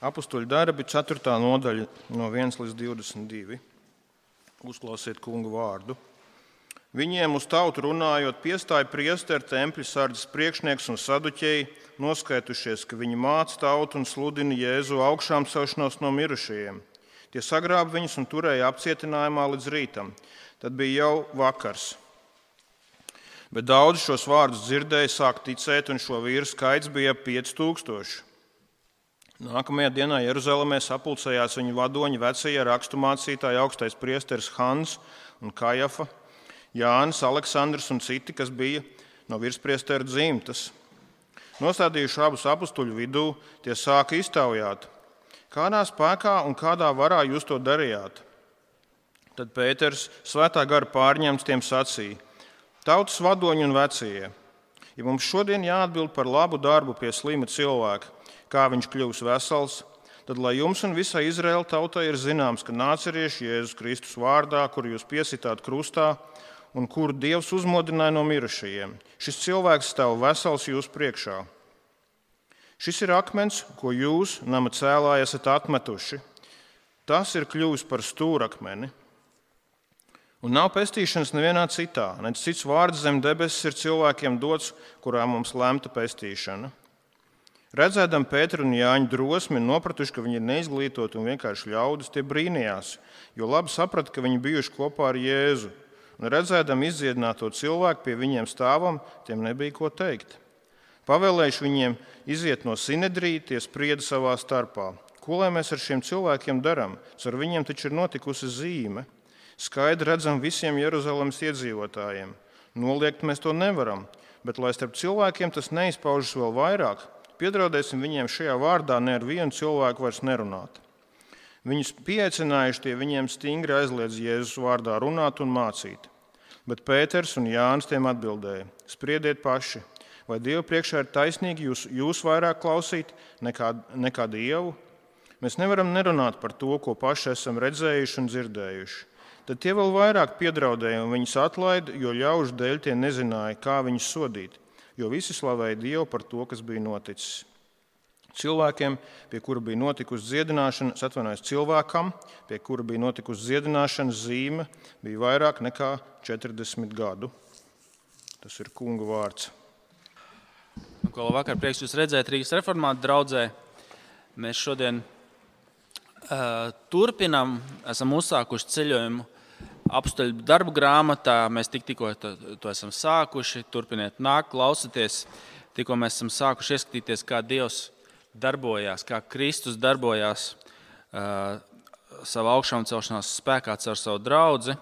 Apustuļu darbi, 4. nodaļa no 1 līdz 22. Uzklausiet kungu vārdu. Viņiem uz tautu runājot, piestāja priesteri, tempļa sardzes priekšnieks un saduķeji, noskaitušies, ka viņi māca tautu un sludina Jēzu augšām celšanos no mirušajiem. Tie sagrāba viņus un turēja apcietinājumā līdz rītam. Tad bija jau vakars. Bet daudzi šos vārdus dzirdēja, sāk ticēt, un šo vīru skaits bija 5000. Nākamajā dienā Jeruzalemē sapulcējās viņu vadoņi, vecie rakstu mācītāji, augstais priesteris Hans un Kajafa, Jānis, Aleksandrs un citi, kas bija no virspriesteru dzimtas. Nostādījuši abus apustuļu vidū, tie sāka iztaujāt, kādā spēkā un kādā varā jūs to darījāt. Tad Pēters, svētā gara pārņemts, tiem sacīja: tautas vadoņi un vecie, ja mums šodien jāatbild par labu darbu pie slima cilvēka, kā viņš kļūs vesels, tad lai jums un visai Izraēla tautai ir zināms, ka nācerieši Jēzus Kristus vārdā, kuru jūs piesitāt krustā un kuru Dievs uzmodināja no mirušajiem, šis cilvēks stāv vesels jūsu priekšā. Šis ir akmens, ko jūs, nama cēlāji, esat atmetuši. Tas ir kļuvis par stūrakmeni. Un nav pestīšanas nevienā citā, nec cits vārds zem debesis ir cilvēkiem dots, kurā mums lemta pestīšana. Redzēdam Pēteru un Jāņu drosmi un nopratuši, ka viņi ir neizglītoti un vienkārši ļaudis, tie brīnījās, jo labi saprata, ka viņi bijuši kopā ar Jēzu. Un redzēdam izdziedināto cilvēku pie viņiem stāvam, tiem nebija ko teikt. Pavēlējuši viņiem iziet no Sinedrija, tie sprieda savā starpā. Ko lai mēs ar šiem cilvēkiem darām? Ar viņiem taču ir notikusi zīme. Skaidri redzam visiem Jeruzalemes iedzīvotājiem. Noliegt mēs to nevaram, bet lai starp cilvēkiem tas neizpaužas vēl vairāk, piedraudēsim viņiem šajā vārdā ne ar vienu cilvēku vairs nerunāt. Viņus pieaicinājuši, tie viņiem stingri aizliedz Jēzus vārdā runāt un mācīt. Bet Pēters un Jānis tiem atbildēja: spriediet paši, vai Dievu priekšā ir taisnīgi jūs vairāk klausīt nekā Dievu? Mēs nevaram nerunāt par to, ko paši esam redzējuši un dzirdējuši. Tad tie vēl vairāk piedraudēja un viņus atlaida, jo ļaužu dēļ tie nezināja, kā viņus sodīt, jo visi slavēja Dievu par to, kas bija noticis. Cilvēkam, pie kura bija notikusi dziedināšana, zīme, bija vairāk nekā 40 gadu. Tas ir kunga vārds. Ko vakar prieks jūs redzēt Rīgas reformātu draudzē. Mēs šodien turpinam, esam uzsākuši ceļojumu apustuļu darbu grāmatā. Mēs tikko to esam sākuši. Turpiniet nākt, klausieties. Tikko mēs esam sākuši ieskatīties, kā Dievs darbojās, kā Kristus darbojās savā augšām celšanās spēkā caur savu draudzi.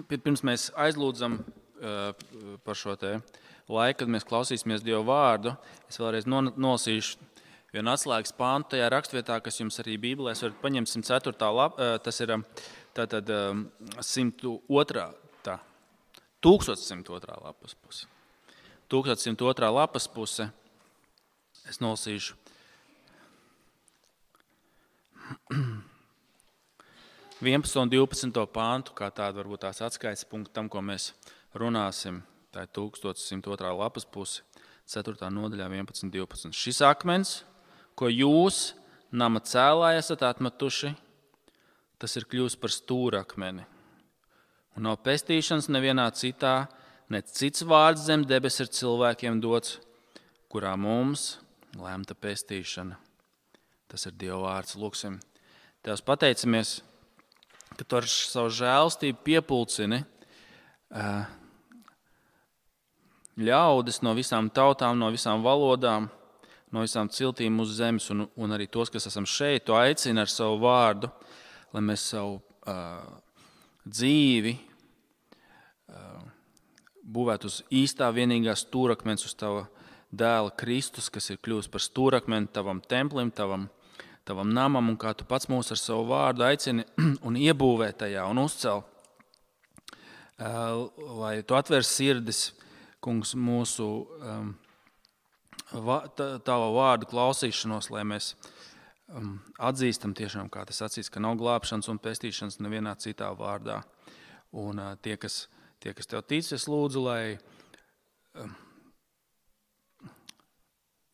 Pirms mēs aizlūdzam par šo te laiku, kad mēs klausīsimies Dieva vārdu, es vēlreiz nolasīšu vienu atslēgas pāntu tajā rakstvietā, kas jums arī Bībelēs varat paņemt 104. lapa, tas ir tātad 1102. lapas puse. 1102. lapas puse. Es nolasīšu. Vienpadsmito un 12. pāntu, kā tāda varbūt tās atskaites punktu tam, ko mēs runāsim. Tā ir 1102. lapas puse, 4. nodaļā 11.12. Šis akmens, ko jūs, nama cēlāji, esat atmetuši, tas ir kļuvis par stūrakmeni. Un nav pestīšanas nevienā citā, ne cits vārds zem debesis ir cilvēkiem dots, kurā mums lemta pestīšana. Tas ir Dieva vārds. Lūksim. Tevs pateicamies, ka tu ar savu žēlstību piepulcini ļaudis no visām tautām, no visām valodām, no visām ciltīm uz zemes un arī tos, kas esam šeit, tu aicini ar savu vārdu, lai mēs savu dzīvi būvētu uz īstā vienīgā stūrakmens, uz tava dēla Kristus, kas ir kļuvis par stūrakmeni tavam templim, tavam namam, un kā tu pats mūs ar savu vārdu aicini un iebūvē tajā un uzcel, lai tu atver sirdis, kungs, mūsu tava vārdu klausīšanos, lai mēs atzīstam tiešām, kā tas acīs, ka nav glābšanas un pestīšanas nevienā citā vārdā. Un tie, kas tev tic, es lūdzu, lai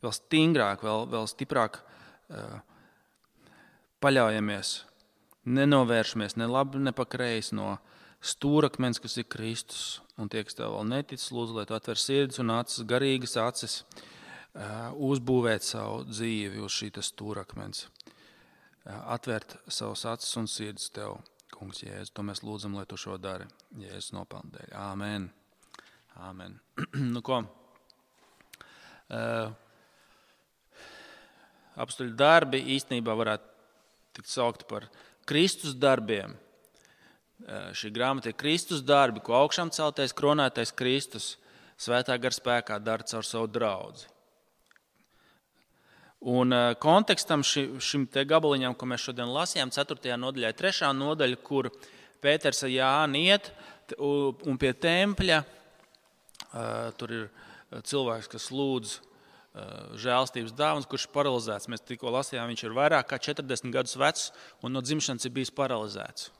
vēl stingrāk, vēl stiprāk paļaujamies, nenovēršamies ne labi, ne pa kreisi no stūrakmens, kas ir Kristus. Un tie, kas tev vēl netic, lūdzu, lai tu atver sirdis un acis, garīgas acis, uzbūvēt savu dzīvi uz šī stūrakmens. Atvērt savus acis un sirdis tev, Kungs Jēzus. To mēs lūdzam, lai tu šo dari Jēzus nopelnu dēļ. Āmen. Āmen. Nu ko? Apstuļu darbi īstenībā varētu tikt saukti par Kristus darbiem. Šī grāmata ir Kristus darbi, ko augšām celtais, kronētais Kristus svētā gara spēkā dara caur savu draudzi. Un kontekstam šim te gabaliņam, ko mēs šodien lasījām, 4. nodaļā, 3. nodaļa, kur Pēters ar Jāni iet un pie tempļa, tur ir cilvēks, kas lūdz žēlstības dāvanas, kurš ir paralizēts. Mēs tikko lasījām, viņš ir vairāk kā 40 gadus vecs un no dzimšanas ir bijis paralizēts.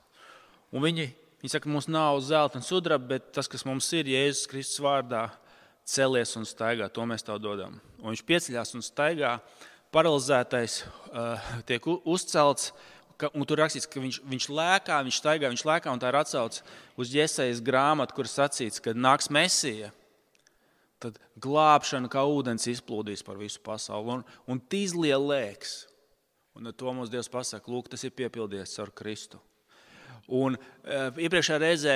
Un viņi saka, mums nav zelta un sudraba, bet tas, kas mums ir, Jēzus Kristus vārdā, celies un staigā, to mēs tev dodam. Un viņš pieceļās un staigā, paralizētais tiek uzcelts, un tur rakstīts, ka viņš lēkā, viņš lēkā, un tā ir atsauce uz Jesajas grāmatu, kur sacīts, kad nāks Mesija, tad glābšana kā ūdens izplūdīs par visu pasauli, un tīzlie lēks. Un to mums Dievs pasaka, lūk, tas ir piepildies ar Kristu. Un iepriekšējā reizē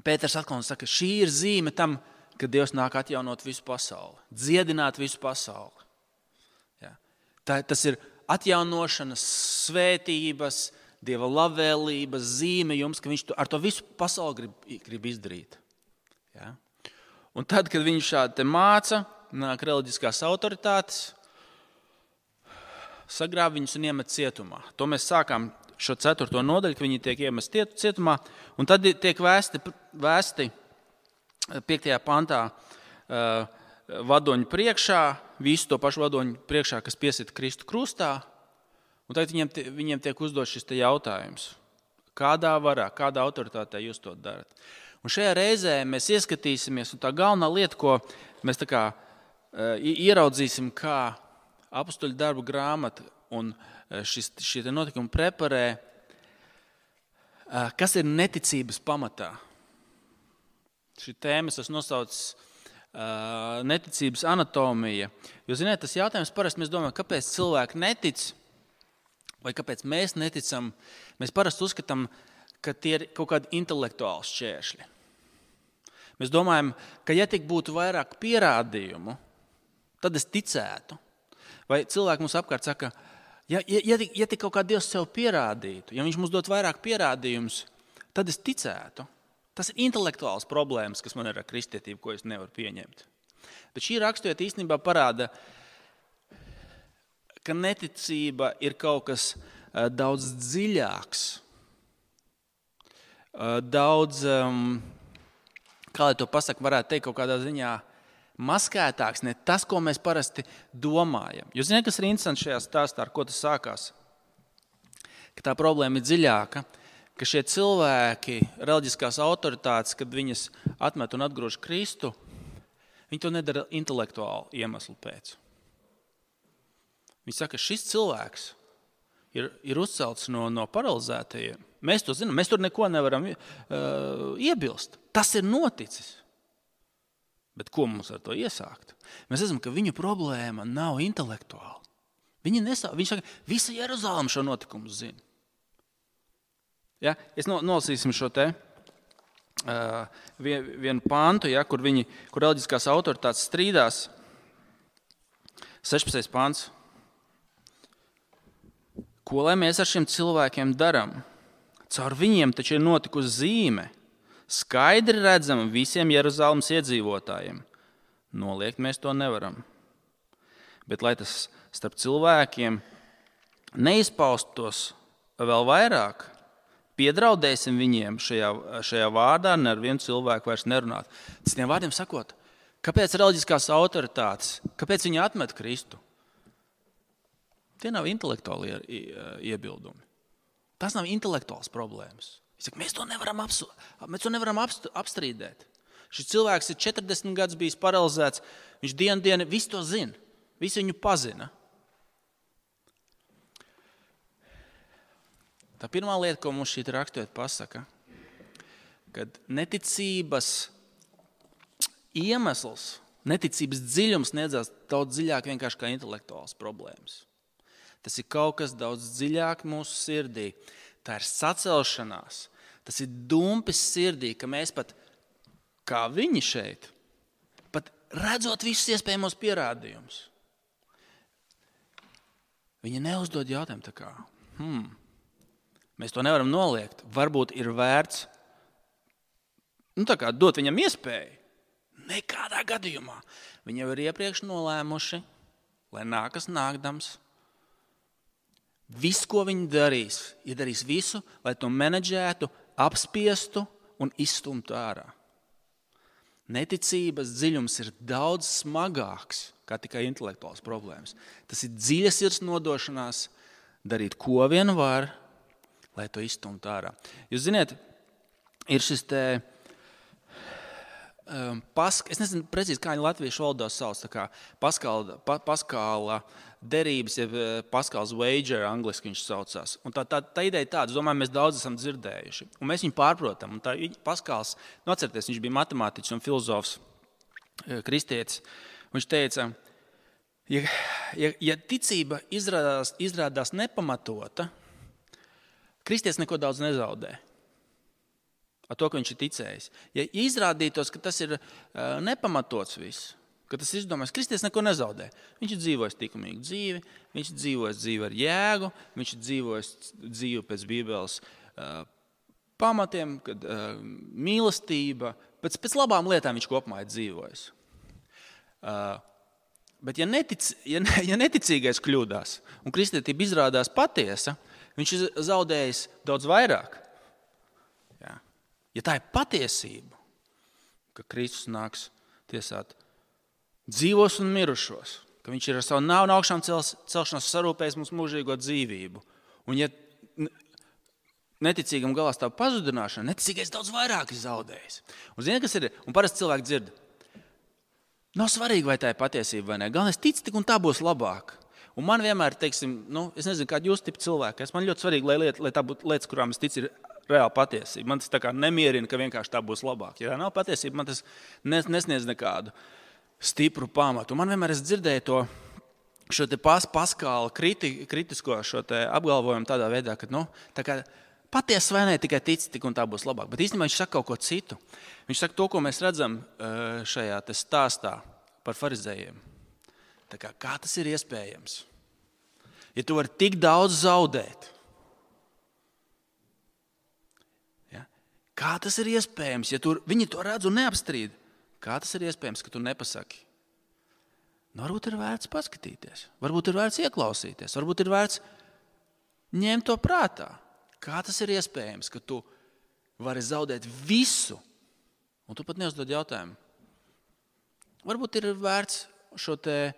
Pēters atkal saka, šī ir zīme tam, ka Dievs nāk atjaunot visu pasauli, dziedināt visu pasauli. Ja. Tas ir atjaunošanas, svētības, Dieva labvēlības zīme jums, ka viņš ar to visu pasauli grib izdarīt. Ja. Un tad, kad viņš šādi māca, nāk reliģiskās autoritātes, sagrāb viņus un iemet cietumā. To mēs sākām šo 4. nodaļu, ka viņi tiek iemesti cietumā, un tad tiek vēsti 5. pantā vadoņu priekšā, visu to pašu vadoņu priekšā, kas piesita Kristu krustā, un tagad viņiem tiek uzdot šis jautājums. Kādā varā, kādā autoritātē jūs to darat? Un šajā reizē mēs ieskatīsimies, un tā galvenā lieta, ko mēs tā kā ieraudzīsim, kā apstuļu darbu grāmata un šie notikumi preparē, kas ir neticības pamatā. Šī tēma es nosaucu neticības anatomija. Jo, ziniet, tas jautājums parasti mēs domājam, kāpēc cilvēki netic, vai kāpēc mēs neticam. Mēs parasti uzskatām, ka tie ir kaut kādi intelektuāli šķēršļi. Mēs domājam, ka ja tik būtu vairāk pierādījumu, tad es ticētu. Vai cilvēki mums apkārt saka, ja tik kaut kā Dievs sev pierādītu, ja viņš mums dot vairāk pierādījumus, tad es ticētu. Tas ir intelektuāls problēmas, kas man ir ar kristietību, ko es nevaru pieņemt. Bet šī raksturvieta īstenībā parāda, ka neticība ir kaut kas daudz dziļāks, daudz, kā lai to pasaka, varētu teikt kaut kādā ziņā maskētāks, ne tas, ko mēs parasti domājam. Jūs zināt, kas ir interesanti šajā stāstā, ar ko tas sākās? Ka tā problēma ir dziļāka, ka šie cilvēki, reliģiskās autoritātes, kad viņas atmet un atgrūž Kristu, viņi to nedara intelektuāli iemeslu pēc. Viņi saka, ka šis cilvēks ir uzcelts no paralizētajiem. Mēs to zinām, mēs tur neko nevaram iebilst. Tas ir noticis. Bet ko mums ar to iesākt? Mēs redzam, ka viņu problēma nav intelektuāla. Viņš saka, visa Jeruzaleme šo notikumu zina. Ja? Es nolasīsim šo te vienu pantu, ja, kur reliģiskās autoritātes strīdās. 16. pants. Ko lai mēs ar šiem cilvēkiem daram? Caur viņiem taču ir notikusi zīme. Skaidri redzama visiem Jeruzalemes iedzīvotājiem. Noliegt mēs to nevaram. Bet, lai tas starp cilvēkiem neizpaustos vēl vairāk, piedraudēsim viņiem šajā vārdā, ne ar vienu cilvēku vairs nerunāt. Citiem vārdiem sakot, kāpēc reliģiskās autoritātes, kāpēc viņi atmet Kristu? Tie nav intelektuāli iebildumi. Tas nav intelektuāls problēmas. Saka, mēs to nevaram apstrīdēt. Šis cilvēks ir 40 gadus bijis paralizēts, viņš dienu visu to zina. Visi viņu pazina. Tā pirmā lieta, ko mums šī raksturvieta pasaka, kad neticības iemesls, neticības dziļums neiedzās daudz dziļāk vienkārši kā intelektuāls problēmas. Tas ir kaut kas daudz dziļāk mūsu sirdī. Tā ir sacelšanās. Tas ir dumpis sirdī, ka mēs pat, kā viņi šeit, pat redzot visus iespējamos pierādījumus, viņi neuzdod jautājumu tā kā, mēs to nevaram noliegt. Varbūt ir vērts tā kā dot viņam iespēju. Nekādā gadījumā. Viņi jau ir iepriekš nolēmuši, lai nākas nākdams. Viss, ko viņi darīs, darīs visu, lai to menedžētu, apspiestu un izstumtu ārā. Neticības dziļums ir daudz smagāks kā tikai intelektuāls problēmas. Tas ir dziļa sirds nodošanās, darīt ko vien var, lai to izstumtu ārā. Jūs ziniet, ir šis te es nezinu precīzi, kā viņi latviešu valodā sauc, tā kā Paskāla derības, jeb Paskāls wager, angliski viņš saucās. Un tā ideja tāda, es domāju, mēs daudz esam dzirdējuši. Un mēs viņu pārprotam. Un tā Paskāls, atcerieties, viņš bija matemātiķis un filozofs, kristietis. Viņš teica, ja ticība izrādās nepamatota, kristietis neko daudz nezaudē. Ar to, ka viņš ir ticējis. Ja izrādītos, ka tas ir nepamatots viss, ka tas ir izdomājis, kristietis neko nezaudē. Viņš ir dzīvojis likumīgu dzīvi, viņš ir dzīvojis dzīvi ar jēgu, viņš ir dzīvojis dzīvi pēc Bībeles pamatiem, kad mīlestība, pēc labām lietām viņš kopumā ir dzīvojis. Bet ja neticīgais kļūdās un kristietība izrādās patiesa, viņš ir zaudējis daudz vairāk. Ja tā ir patiesība, ka Kristus nāks tiesāt dzīvos un mirušos, ka viņš ir ar savu nāvu un augšām celšanos sarūpējis mums mūžīgo dzīvību, un ja neticīgam galā stāv pazudināšana, neticīgais daudz vairāk ir zaudējis. Un zini, kas ir? Un parasti cilvēki dzird. Nav svarīgi, vai tā ir patiesība vai ne. Galvenais tic tik un tā būs labāk. Un man vienmēr, teiksim, es nezinu, kādi jūs tipi cilvēki. Man ļoti svarīgi, lai tā būtu lietas, kurām es ticu, ir reāla patiesība. Man tas tā kā nemierina, ka vienkārši tā būs labāk. Ja tā nav patiesība, man tas nesniedz nekādu stipru pamatu. Un man vienmēr es dzirdēju šo te Paskāla kritisko šo te apgalvojumu tādā veidā, ka tā kā patiesa vai ne, tikai tic, tik un tā būs labāk. Bet īstenībā viņš saka kaut ko citu. Viņš saka to, ko mēs redzam šajā te stāstā par farizējiem. Tā kā tas ir iespējams? Ja tu vari tik daudz zaudēt, kā tas ir iespējams, ja viņi to redz un neapstrīd? Kā tas ir iespējams, ka tu nepasaki? Varbūt ir vērts paskatīties, varbūt ir vērts ieklausīties, varbūt ir vērts ņemt to prātā. Kā tas ir iespējams, ka tu vari zaudēt visu, un tu pat neuzdod jautājumu? Varbūt ir vērts šo te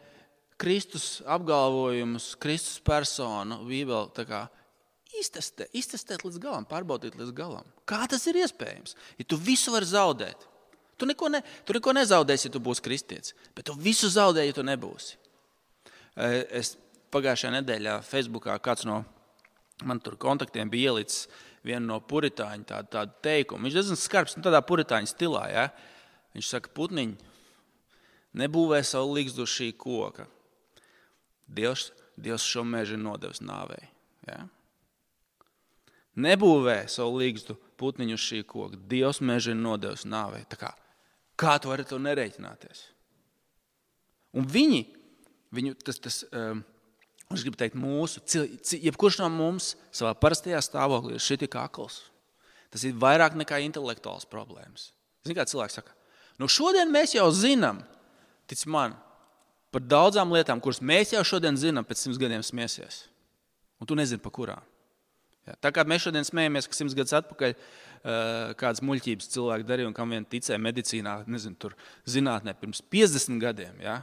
Kristus apgalvojumus, Kristus personu, Bībeli tā kā iztestēt līdz galam, pārbaudīt līdz galam. Kā tas ir iespējams? Ja tu visu vari zaudēt, tu neko nezaudēsi, ja tu būsi kristietis, bet tu visu zaudē, ja tu nebūsi. Es pagājušajā nedēļā Facebookā kāds no man tur kontaktiem bija ielicis vienu no puritāņu tādu teikumu. Viņš diezgan skarbs, tādā puritāņu stilā. Ja? Viņš saka, putniņi, nebūvē savu ligzdu uz šī koka. Dievs šo mežu ir nodevis nāvei. Ja? Nebūvē savu ligzdu putniņu uz šī koka. Dievs mežu ir nodevis nāvei. Kā tu vari to nereiķināties? Un es gribu teikt jebkurš no mums savā parastajā stāvoklī ir šitik akls. Tas ir vairāk nekā intelektuāls problēmas. Zini, kā cilvēks saka, šodien mēs jau zinām, tic man, par daudzām lietām, kuras mēs jau šodien zinām, pēc 100 gadiem smiesies. Un tu nezini, pa kurām. Ja, tā kā mēs šodien smējamies, ka 100 gadus atpakaļ kādas muļķības cilvēki darīja un kam vien ticēja medicīnā, nezinu, tur zinātnē pirms 50 gadiem. Ja?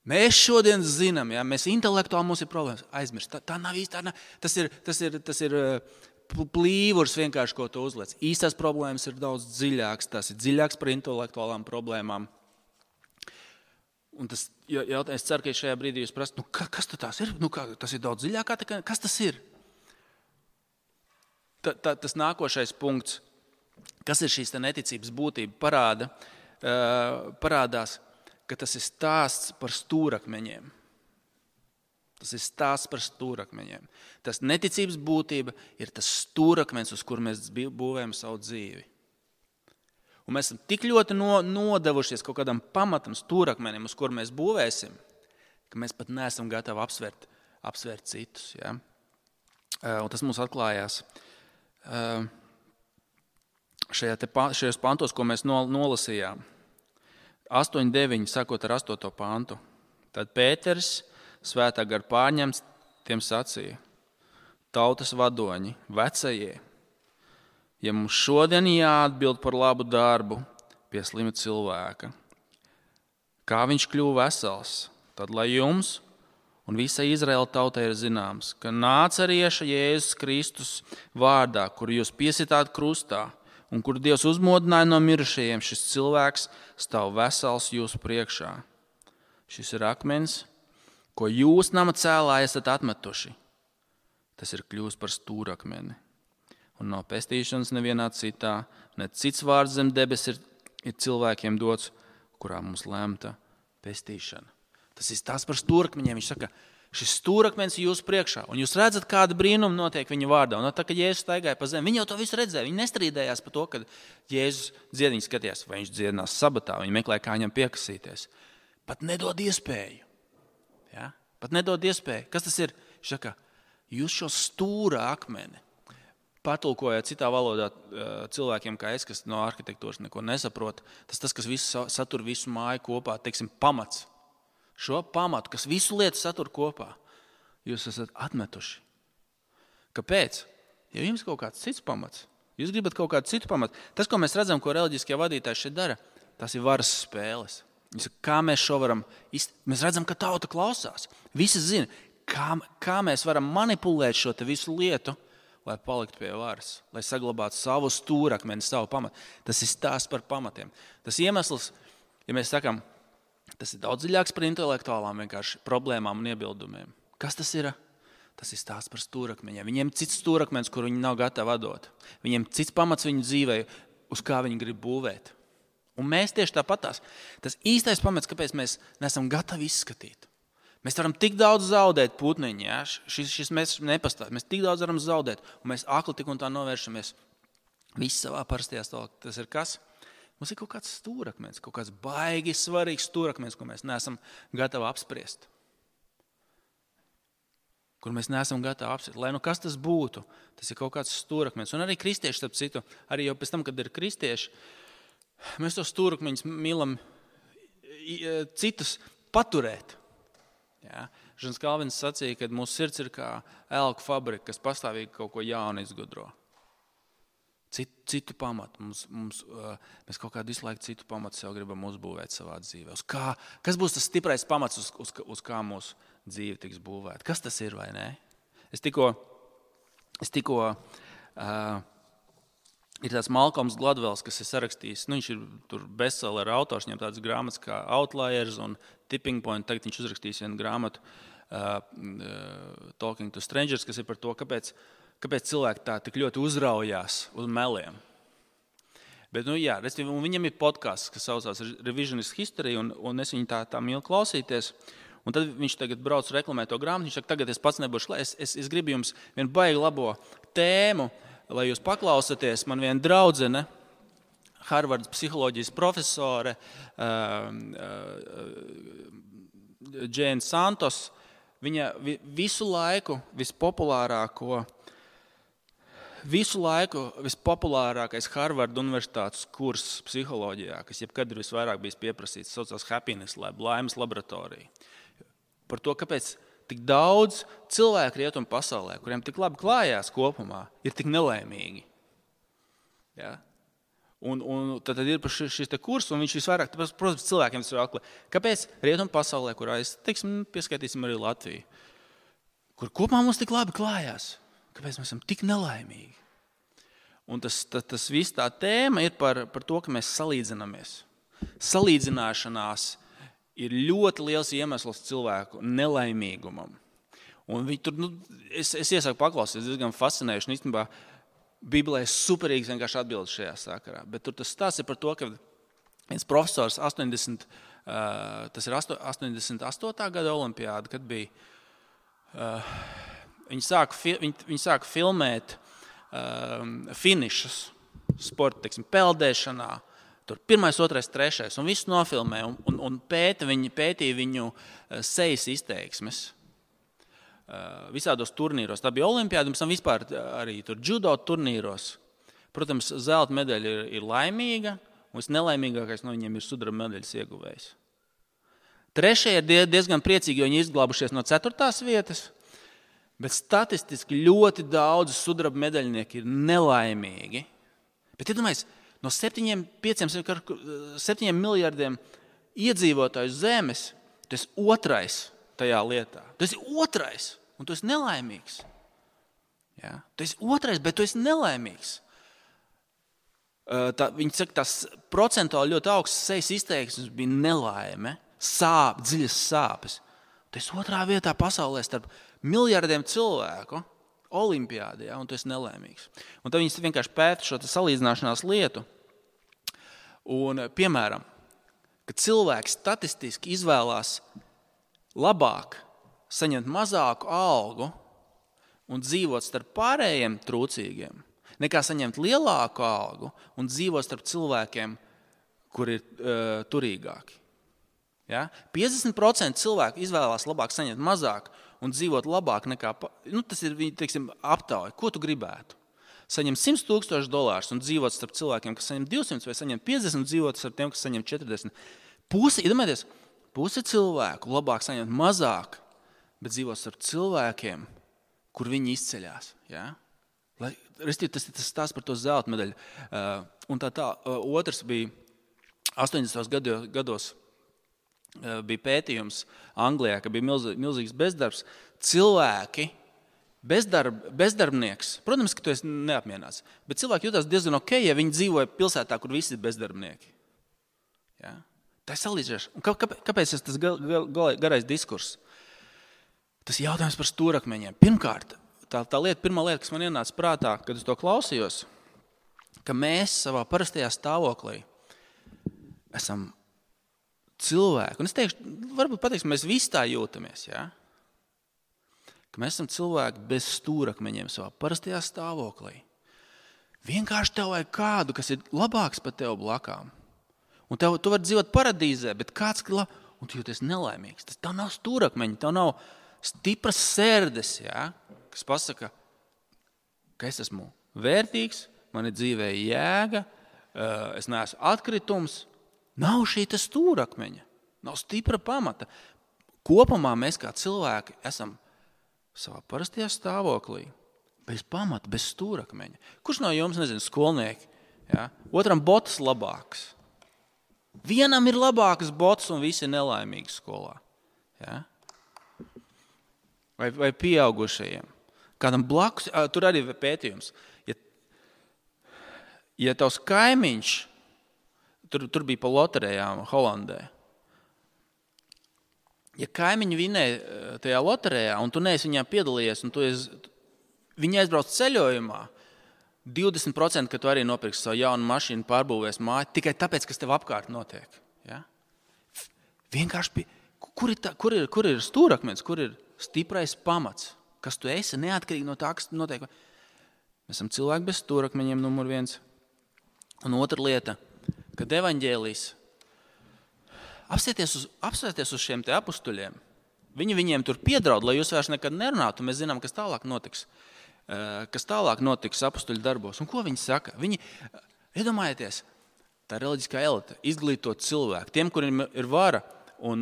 Mēs šodien zinām, ja? Mēs intelektuāli mums ir problēmas. Aizmirst, tā nav īsti, tas ir plīvurs vienkārši, ko tu uzliec. Īstās problēmas ir daudz dziļākas, tas ir dziļāks par intelektuālām problēmām. Un tas jautājums, es ceru, ka šajā brīdī jūs prasat, kas tas ir? Tas ir daudz dziļāk, kas tas ir? Tas nākošais punkts, kas ir šīs neticības būtība, parādās, ka tas ir stāsts par stūrakmeņiem. Tas ir stāsts par stūrakmeņiem. Tas neticības būtība ir tas stūrakmeņs, uz kur mēs būvējam savu dzīvi. Un mēs esam tik ļoti nodevušies kaut kādam pamatam, stūrakmenim, uz kur mēs būvēsim, ka mēs pat neesam gatavi apsvērt citus. Ja? Un tas mums atklājās šajos pantos, ko mēs nolasījām. 8,9, sākot ar 8. pantu. Tad Pēters, svētā gara pārņemts, tiem sacīja: tautas vadoņi, vecajie, ja mums šodien jāatbild par labu darbu pie slima cilvēka, kā viņš kļuva vesels, tad lai jums un visai Izraēla tautai ir zināms, ka nācerieša Jēzus Kristus vārdā, kuru jūs piesitāt krustā un kuru Dievs uzmodināja no mirušajiem, šis cilvēks stāv vesels jūsu priekšā. Šis ir akmens, ko jūs nama cēlāji esat atmetuši. Tas ir kļūst par stūrakmeni. Un nav pestīšanas nevienā citā, ne cits vārds zem debes ir cilvēkiem dots, kurā mums lemta pestīšana. Tas ir tās par stūrakmeņiem. Viņš saka, šis stūrakmenis ir jūsu priekšā, un jūs redzat, kāda brīnuma notiek viņa vārdā. Un tā, kad Jēzus staigāja pa zemi, viņi jau to visu redzēja. Viņi nestrīdējās par to, kad Jēzus dzied, viņi skatījās, vai viņš dziedinās sabatā, viņi meklēja, kā viņam piekasīties. Pat nedod iespēju. Ja? Pat nedod iespēju. Kas tas ir? Viņš saka, jūs šo stūra akmeni, patulkojot citā valodā cilvēkiem kā es, kas no arhitektūras neko nesaprot, tas, kas satur visu māju kopā, teiksim, pamats. Šo pamatu, kas visu lietu satur kopā, jūs esat atmetuši. Kāpēc? Ja jums kaut kāds cits pamats, jūs gribat kaut kādu citu pamatu. Tas, ko mēs redzam, ko reliģiskie vadītāji šeit dara, tas ir varas spēles. Kā mēs šo varam mēs redzam, ka tauta klausās. Visi zina, kā mēs varam manipulēt šo te visu lietu, lai paliktu pie varas, lai saglabātu savu stūrakmeni, savu pamatu. Tas ir stāsts par pamatiem. Tas iemesls, ja mēs sakām, tas ir daudz dziļāks par intelektuālām vienkārši problēmām un iebildumiem. Kas tas ir? Tas ir stāsts par stūrakmeņiem. Viņiem cits stūrakmenis, kur viņi nav gatavi atdot. Viņiem cits pamats viņu dzīvē, uz kā viņi grib būvēt. Un mēs tieši tāpatās. Tas īstais pamats, kāpēc mēs neesam gatavi izskatīt. Mēs varam tik daudz zaudēt putniņi, ja? Šis mēs nepastāv. Mēs tik daudz varam zaudēt, un mēs akli tik un tā novēršamies visi savā parastajā stāvoklī. Tas ir kas? Mums ir kaut kāds stūrakmens, kaut kāds baigi svarīgs stūrakmens, ko mēs neesam gatavi apspriest. Kur mēs neesam gatavi apspriest. Lai nu kas tas būtu, tas ir kaut kāds stūrakmens. Un arī kristieši, starp citu, arī jau pēc tam, kad ir kristieši, mēs tos stūrakmeņus mīlam citus paturēt. Ja? Žans Kalvins sacīja, ka mūsu sirds ir kā elku fabrika, kas pastāvīgi kaut ko jaunu izgudro. Citu pamatu. Mēs kaut kādu visu laiku citu pamatu sev gribam uzbūvēt savā dzīvē. Kas būs tas stiprais pamats, uz kā mūsu dzīve tiks būvēta? Kas tas ir vai nē? Es tikko ir tāds Malcolms Gladwells, kas ir sarakstījis, viņš ir tur bestseller autors, viņam tādas grāmatas kā Outliers un Tipping Point, tagad viņš uzrakstīs vienu grāmatu Talking to Strangers, kas ir par to, kāpēc cilvēki tā tik ļoti uzraujās uz meliem. Bet, viņam ir podcasts, kas saucās Revisionist History, un es viņu tā mīlu klausīties. Un tad viņš tagad brauc reklamēt to grāmatu, viņš saka, tagad es pats nebūšu klāt, es gribu jums vienu baigi labo tēmu, lai jūs paklausāties. Man viena draudzene, Harvardas psiholoģijas profesore, Jane Santos, viņa visu laiku vispopulārākais Harvarda universitātes kurs psiholoģijā, kas jebkad ir visvairāk bijis pieprasīts, saucās Happiness Lab, laimes laboratorija. Par to, kāpēc tik daudz cilvēku rietumu pasaulē, kuriem tik labi klājās kopumā, ir tik nelaimīgi. Ja? Un tad ir šis te kurs, un viņš visvairāk, protams, cilvēkiem tas ir akli. Kāpēc rietumu pasaulē, kurā pieskaitīsim arī Latviju, kur kopumā mums tik labi klājās, kāpēc mēs esam tik nelaimīgi? Un tas viss tā tēma ir par to, ka mēs salīdzinamies. Salīdzināšanās ir ļoti liels iemesls cilvēku nelaimīgumam. Un viņi tur, es iesaku paklausīties, diezgan fascinējuši. Un īstenībā Bībelē ir superīgs vienkārši atbildes šajā sakarā. Bet tur tas stāsts ir par to, ka viens profesors 88. gada olimpiāda, kad bija, viņi sāka filmēt finišus sporta, peldēšanā. Tur 1., 2., 3. un visu nofilmē un pētīja viņu sejas izteiksmes visādos turnīros. Tā bija olimpiāda, un vispār arī tur judo turnīros. Protams, zelta medaļa ir laimīga, un visnelaimīgākais no viņiem ir sudraba medaļas ieguvējs. 3. ir diezgan priecīgi, jo viņi izglābušies no 4. vietas, bet statistiski ļoti daudz sudraba medaļnieki ir nelaimīgi. Bet iedomājies, no 7 miljardiem iedzīvotāju zemes, tu esi 2. tajā lietā. Tu esi 2. un tu esi nelaimīgs. Ja? Tu esi 2. bet tu esi nelaimīgs. Viņi saka, tas procentuāli ļoti augsts sejas izteiksmes bija nelaime, dziļas sāpes. Tu esi 2. vietā pasaulē starp miljardiem cilvēku olimpiādē, ja? Un tu esi nelaimīgs. Un tad viņi vienkārši pēta šo salīdzināšanās lietu. Un, piemēram, kad cilvēks statistiski izvēlās labāk saņemt mazāku algu un dzīvot starp pārējiem trūcīgiem, nekā saņemt lielāku algu un dzīvot starp cilvēkiem, kuri ir turīgāki. Ja? 50% cilvēku izvēlās labāk saņemt mazāk un dzīvot labāk nekā, tas ir viņi, aptauja. Ko tu gribētu? Saņemt $100,000 un dzīvot starp cilvēkiem, kas saņem 200 vai saņem 50 un dzīvot starp tiem, kas saņem 40. Pusi cilvēku labāk saņemt mazāk, bet dzīvot starp cilvēkiem, kur viņi izceļās. Ja? Tas ir tas stāsts par to zelta medaļu. Un otrs bija 80. gados bija pētījums Anglijā, ka bija milzīgs bezdarbs. Cilvēki, bezdarbnieks, protams, ka tu esi neapmierināts, bet cilvēki jutās diezgan ok, ja viņi dzīvoja pilsētā, kur visi ir bezdarbnieki. Ja? Tā ir salīdzināšana. Kāpēc tas garais diskurss? Tas jautājums par stūrakmeņiem. Pirmkārt, pirmā lieta, kas man ienāca prātā, kad es to klausījos, ka mēs savā parastajā stāvoklī esam cilvēki. Un es teikšu, varbūt pateiksim, mēs visi tā jūtamies, ja? Ka mēs esam cilvēki bez stūrakmeņiem savā parastajā stāvoklī. Vienkārši tev vajag kādu, kas ir labāks par tev blakām. Un tu vari dzīvot paradīzē, bet kāds, un tu jūties nelaimīgs. Tas tev nav stūrakmeņi, tev nav stipras sērdes, ja? Kas pasaka, ka es esmu vērtīgs, man ir dzīvē jēga, es neesmu atkritums. Nav šī stūrakmeņa, nav stipra pamata. Kopumā mēs kā cilvēki esam savā parastajā stāvoklī, bez pamata, bez stūrakmeņa. Kurš no jums, skolnieki, ja? Otram botas labāks? Vienam ir labākas botas un visi ir nelaimīgi skolā. Ja? Vai pieaugušajiem. Kādam blakus, tur arī ir pētījums. Ja tavs kaimiņš, tur bija pa loterijām Holandē. Ja kaimiņi vinēja tajā loterijā un tu neesi viņā piedalījies un viņi aizbrauc ceļojumā, 20%, ka tu arī nopirksi savu jaunu mašīnu, pārbūvēs māju, tikai tāpēc, kas tev apkārt notiek. Ja? Vienkārši, kur ir stūrakmens, kur ir stiprais pamats, kas tu esi, neatkarīgi no tā, kas notiek. Mēs esam cilvēki bez stūrakmeņiem, numur 1. Un otra lieta, kad evaņģēlijs apsēties uz šiem te apustuļiem, viņiem tur piedraud, lai jūs vairs nekad nerunātu, mēs zinām, kas tālāk notiks apustuļu darbos. Un ko viņi saka? Viņi, iedomājieties, tā reliģiskā elite, izglītot cilvēku, tiem, kuriem ir vara, un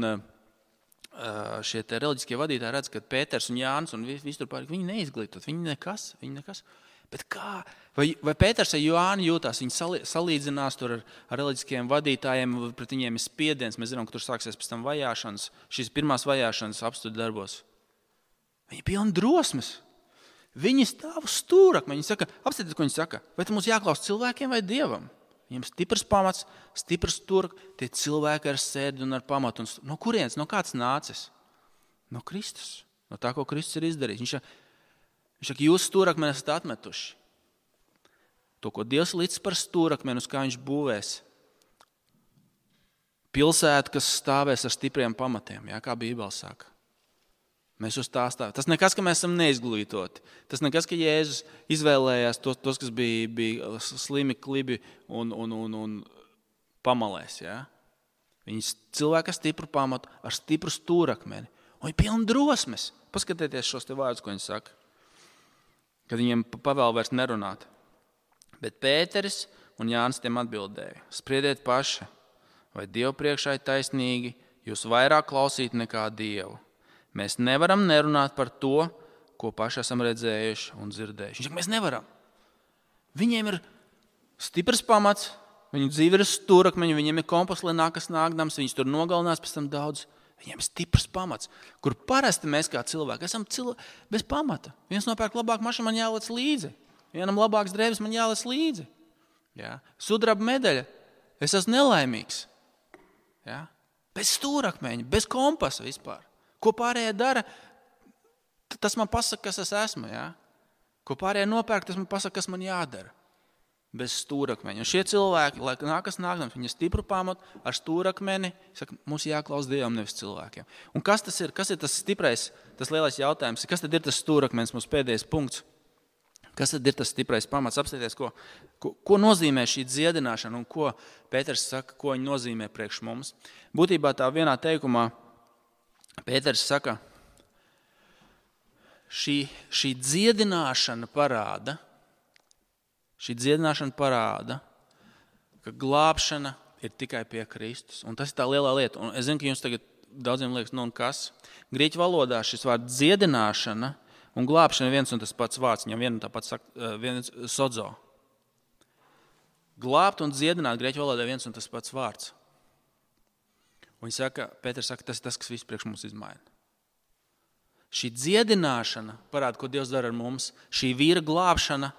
šie te reliģiskie vadītāji redz, ka Pēters un Jānis un visi tur pārāk, viņi neizglītot, viņi nekas. Bet kā? Vai Pēters vai Jāni jūtās, viņi salīdzinās tur ar reliģiskiem vadītājiem, pret viņiem ir spiediens, mēs zinām, ka tur sāksies pēc tam vajāšanas, šīs pirmās vajāšanas apustuļu darbos. Viņi pilni drosmes. Viņi stāv uz stūrakmeņa. Viņi saka, apstāties, ko viņi saka. Vai mums jāklaus cilvēkiem vai Dievam? Viņiem stiprs pamats, stiprs stūrakmenis, tie cilvēki ar sēdi un ar pamatu. No kurienes? No kāds nācis? No Kristus. No tā, ko Kristus ir izdarījis. Viņš saka, jūs stūrakmeni esat atmetuši. To, ko Dievs licis par stūrakmeni, uz kā viņš būvēs. Pilsēta, kas stāvēs ar stipriem pamatiem, kā Bībele saka. Mēs uz tā stāvam. Tas nekas, ka mēs esam neizglītoti. Tas nekas, ka Jēzus izvēlējās tos kas bija slimi, klibi un pamalēs. Ja? Viņi cilvēki ar stipru pamatu, ar stipru stūrakmeni. Un viņi pilni drosmes. Paskatieties šos te vārdus, ko viņi saka. Kad viņiem pavēl vairs nerunāt. Bet Pēteris un Jānis tiem atbildēja. Spriediet paši, vai Dievu priekšā ir taisnīgi, jūs vairāk klausīt nekā Dievu. Mēs nevaram nerunāt par to, ko paši esam redzējuši un dzirdējuši. Viņš saka, mēs nevaram. Viņiem ir stiprs pamats, viņu dzīve ir stūrakmeņi, viņiem ir kompas, lai nākas nākdams, viņus tur nogalinās pēc tam daudz. Viņiem ir stiprs pamats, kur parasti mēs kā cilvēki esam bez pamata. Viens nopērk labāku mašīnu, man jālec līdzi. Vienam labāks drēbes, man jālec līdzi. Ja? Sudraba medaļa, es esmu nelaimīgs. Ja? Bez stūrakmeņa, bez kompasa vispār. Ko pārējie dara, tas man pasaka, kas es esmu. Ja? Ko pārējie nopērk, tas man pasaka, kas man jādara. Bez stūrakmeņa. Un šie cilvēki, lai nākas nākdams, viņi ir stipru pamatu ar stūrakmeni, saka, mums jāklaus Dievam, nevis cilvēkiem. Un kas tas ir? Kas ir tas stiprais, tas lielais jautājums? Kas tad ir tas stūrakmenis, mūsu pēdējais punkts? Kas tad ir tas stiprais pamats? Apstāties, ko nozīmē šī dziedināšana un ko Pēters saka, ko viņa nozīmē priekš mums. Būtībā tā vienā teikumā Pēters saka, šī dziedināšana parāda, ka glābšana ir tikai pie Kristus. Un tas ir tā lielā lieta. Un es zinu, ka jums tagad daudziem liekas, un kas? Grieķu valodā šis vārds dziedināšana un glābšana ir viens un tas pats vārds. Viņam viens sodzo. Glābt un dziedināt grieķu valodā viens un tas pats vārds. Un Pēters saka, tas ir tas, kas visu priekš mums izmaina. Šī dziedināšana parāda, ko Dievs dara ar mums. Šī vīra glābšana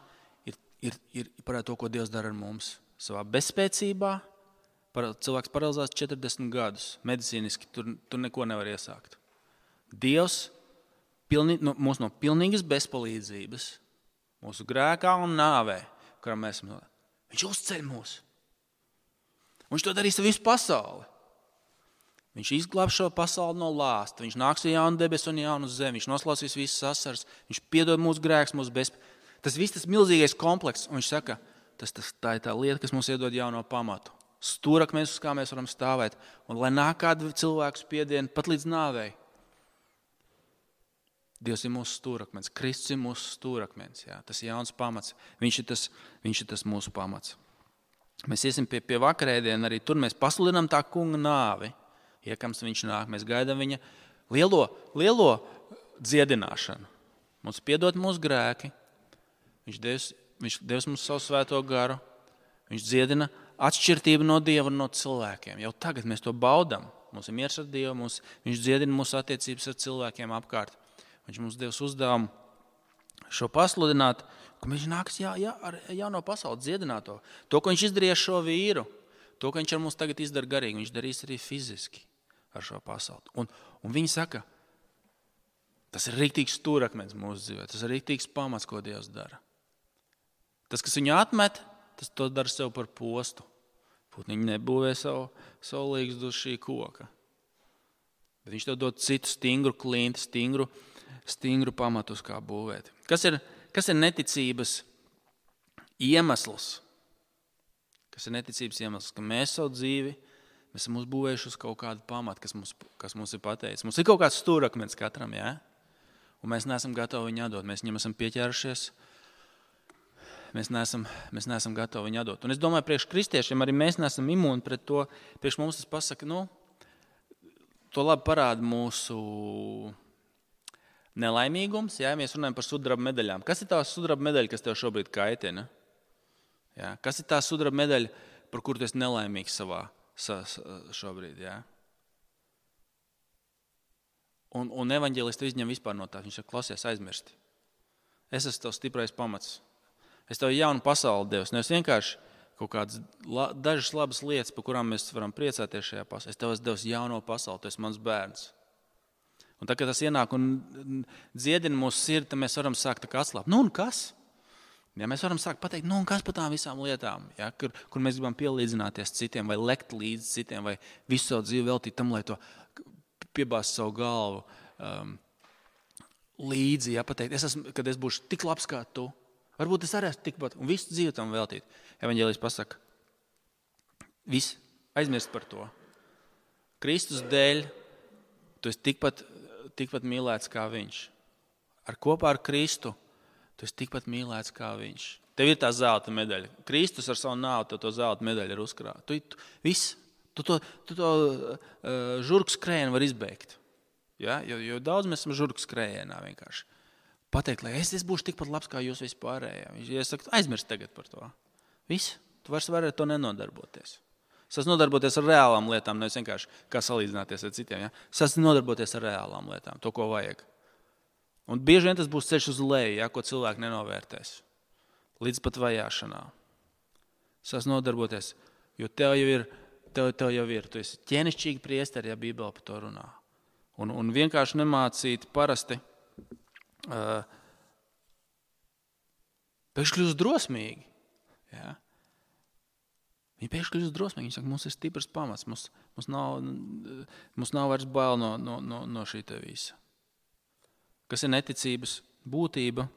ir parāda to, ko Dievs dara ar mums. Savā bezspēcībā cilvēks paralizēs 40 gadus. Medicīniski tur neko nevar iesākt. Dievs mūs no pilnīgas bezpalīdzības, mūsu grēkā un nāvē, kurā mēs esam, viņš uzceļ mūs. Viņš to darīs ar visu pasauli. Viņš izglāb šo pasauli no lāsta. Viņš nāks ar jaunu debesu un jaunu zemi. Viņš noslausīs visas asaras. Viņš piedod mūsu grēkus, mūsu bezpalīdzības. Tas viss tas milzīgais komplekss. Un viņš saka, tā ir tā lieta, kas mums iedod jauno pamatu. Stūrakmenis, uz kā mēs varam stāvēt. Un lai nāk kādu cilvēku spiedienu pat līdz nāvei. Dievs ir mūsu stūrakmenis. Kristus ir mūsu stūrakmenis. Jā. Tas ir jauns pamats. Viņš ir tas mūsu pamats. Mēs iesim pie vakarēdiena. Arī tur mēs pasludinām tā kunga nāvi. Iekams viņš nāk, mēs gaidām viņa lielo dziedināšanu. Mums piedod mūsu grēki. Viņš devis mums savu svēto garu. Viņš dziedina atšķirtību no Dieva un no cilvēkiem. Jau tagad mēs to baudam. Mums ir miers ar Dievu, viņš dziedina mūsu attiecības ar cilvēkiem apkārt. Viņš mums devis uzdevumu šo pasludināt, ka viņš nāks ar jauno pasauli dziedināto. To, ko viņš izdarīja šo vīru, to, ko viņš ar mums tagad izdara garīgi, viņš darīs arī fiziski ar šo pasauli. Un viņi saka, tas ir rīktīgs stūrakmenis mūsu dzīvē, tas ir rīktīgs pamats, ko Dievs dara. Tas, kas viņu atmet, tas to dara sev par postu. Putniņi nebūvē savu līgstu uz šī koka. Bet viņš tev dod citu stingru klinti, stingru pamatu, uz kā būvēt. Kas ir neticības iemesls? Kas ir neticības iemesls? Ka mēs savu dzīvi mēs esam uzbūvējuši uz kaut kādu pamatu, kas mums ir pateicis. Mums ir kaut kāds stūrakmenis katram, jā? Un mēs neesam gatavi viņu atdot. Mēs viņam esam pieķērušies. Mēs neesam gatavi viņu atdot. Un es domāju, priekš kristiešiem arī mēs neesam imūni pret to. Priekš mums tas pasaka, to labi parāda mūsu nelaimīgums. Jā, mēs runājam par sudraba medaļām. Kas ir tā sudraba medaļa, kas tev šobrīd kaitina? Jā? Kas ir tā sudraba medaļa, par kuru tu esi nelaimīgs šobrīd? Jā? Un evaņģēlists izņem vispār no tā. Viņš saka, klausies, aizmirsti. Es esmu tavs stiprais pamats. Es tev jaunu pasauli devis. Nevis vienkārši kaut kādas dažas labas lietas, par kurām mēs varam priecāties šajā pasaulē. Es tev esmu devis jauno pasauli, tu esi mans bērns. Un tad, kad tas ienāk un dziedina mūsu sirdi, tad mēs varam sākt atslābt. Nu un kas? Ja mēs varam sākt pateikt, nu un kas par tām visām lietām, ja, kur mēs gribam pielīdzināties citiem, vai lekt līdz citiem, vai visu savu dzīvi veltīt tam, lai to piebāzt savu galvu līdzi, ja, pateikt, kad es būšu tik labs kā tu. Varbūt es arī esmu tikpat, un visu dzīvi tam veltīt. Evaņģēlijs pasaka, viss, aizmirst par to. Kristus dēļ tu esi tikpat mīlēts kā viņš. Kopā ar Kristu tu esi tikpat mīlēts kā viņš. Tev ir tā zelta medaļa. Kristus ar savu nāvu to zelta medaļu ir uzkrāt. Tu to žurku skrējienu var izbeigt. Ja? Jo daudz mēs esam žurku skrējienā vienkārši. Pateikt, lai es būšu tikpat labs kā jūs vispārējā. Viņš saka, aizmirst tagad par to. Viss, tu vairs vari ar to nenodarboties. Es esmu nodarboties ar reālām lietām, nevis vienkārši kā salīdzināties ar citiem. Ja? Es esmu nodarboties ar reālām lietām, to, ko vajag. Un bieži vien tas būs ceļš uz leju, ja, ko cilvēki nenovērtēs. Līdz pat vajāšanā. Es esmu nodarboties, jo tev jau ir. Tu esi ķēnišķīgi priesteri, ja Bībele par to runā. Un vienkārši nemācīt parasti pēkšņi kļūst drosmīgi. Ja? Viņi pēkšņi kļūst drosmīgi. Viņi saka, mums ir stiprs pamats. Mums nav vairs bail no šī te visa. Kas ir neticības būtība?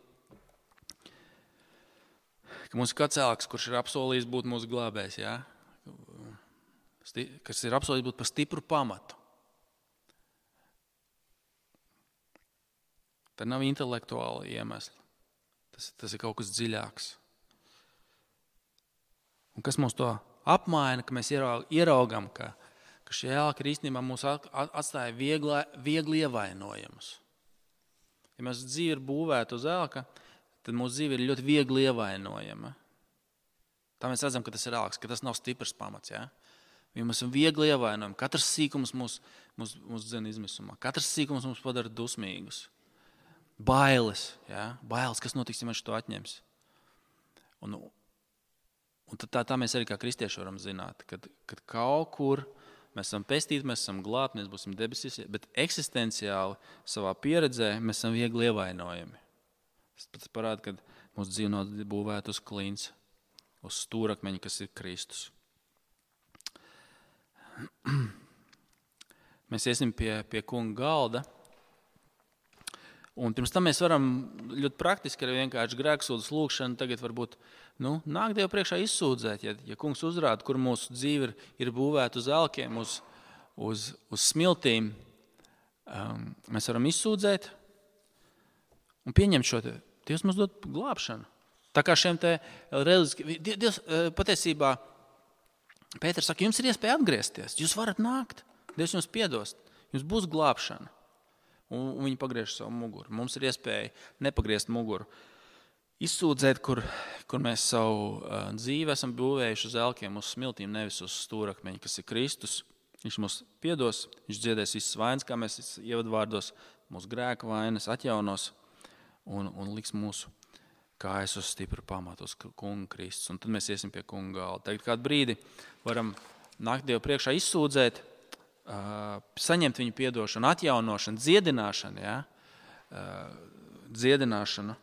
Ka mums ir kāds cilvēks, kurš ir apsolījis būt mūsu glābējs. Ja? Kas ir apsolījis būt par stipru pamatu. Tā nav intelektuāla iemesla. Tas ir kaut kas dziļāks. Un kas mums to apmaina, ka mēs ieraugam, ka šie ēlki īstenībā mūs atstāja viegli ievainojumus. Ja mēs dzīve ir būvēta uz ēlka, tad mūsu dzīve ir ļoti viegli ievainojama. Tā mēs redzam, ka tas ir ēlks, ka tas nav stiprs pamats. Ja? Ja mēs esam viegli ievainojami. Katrs sīkums mūs dzen izmisumā. Katrs sīkums mums padara dusmīgus. Bailes, ja? Bailes, kas notiks, ja man šo atņems. Un tā mēs arī kā kristieši varam zināt, kad kaut kur mēs esam pestīti, mēs esam glābti, mēs būsim debesīs, bet eksistenciāli savā pieredzē mēs esam viegli ievainojami. Tas parāda, ka mūsu dzīve nav būvēta uz klints, uz stūrakmeņa, kas ir Kristus. Mēs iesim pie kunga galda. Un pirms tam mēs varam ļoti praktiski ar vienkārši grēksūdas lūgšanu tagad varbūt nāk Dievu priekšā izsūdzēt, ja kungs uzrāda, kur mūsu dzīve ir būvēta uz elkiem, uz smiltīm. Mēs varam izsūdzēt un pieņemt šo te. Dievs mums dod glābšanu. Tā kā šiem te Dievs patiesībā, Pēters saka, jums ir iespēja atgriezties, jūs varat nākt, Dievs jums piedos, jums būs glābšana. Un viņi pagriež savu muguru. Mums ir iespēja nepagriezt muguru. Izsūdzēt, kur mēs savu dzīvi esam būvējuši uz elkiem, uz smiltīm, nevis uz stūrakmeņa, kas ir Kristus. Viņš mums piedos, viņš dziedēs visas vainas, kā mēs ievadvārdos, mūsu grēka vainas atjaunos un liks mūsu kājas uz stipru pamatu, uz kunga Kristus. Un tad mēs iesim pie kunga galda. Tagad kādu brīdi varam nākt Dievu priekšā izsūdzēt, saņemt viņu piedošanu, atjaunošanu, dziedināšanu, ja? Dziedināšanu.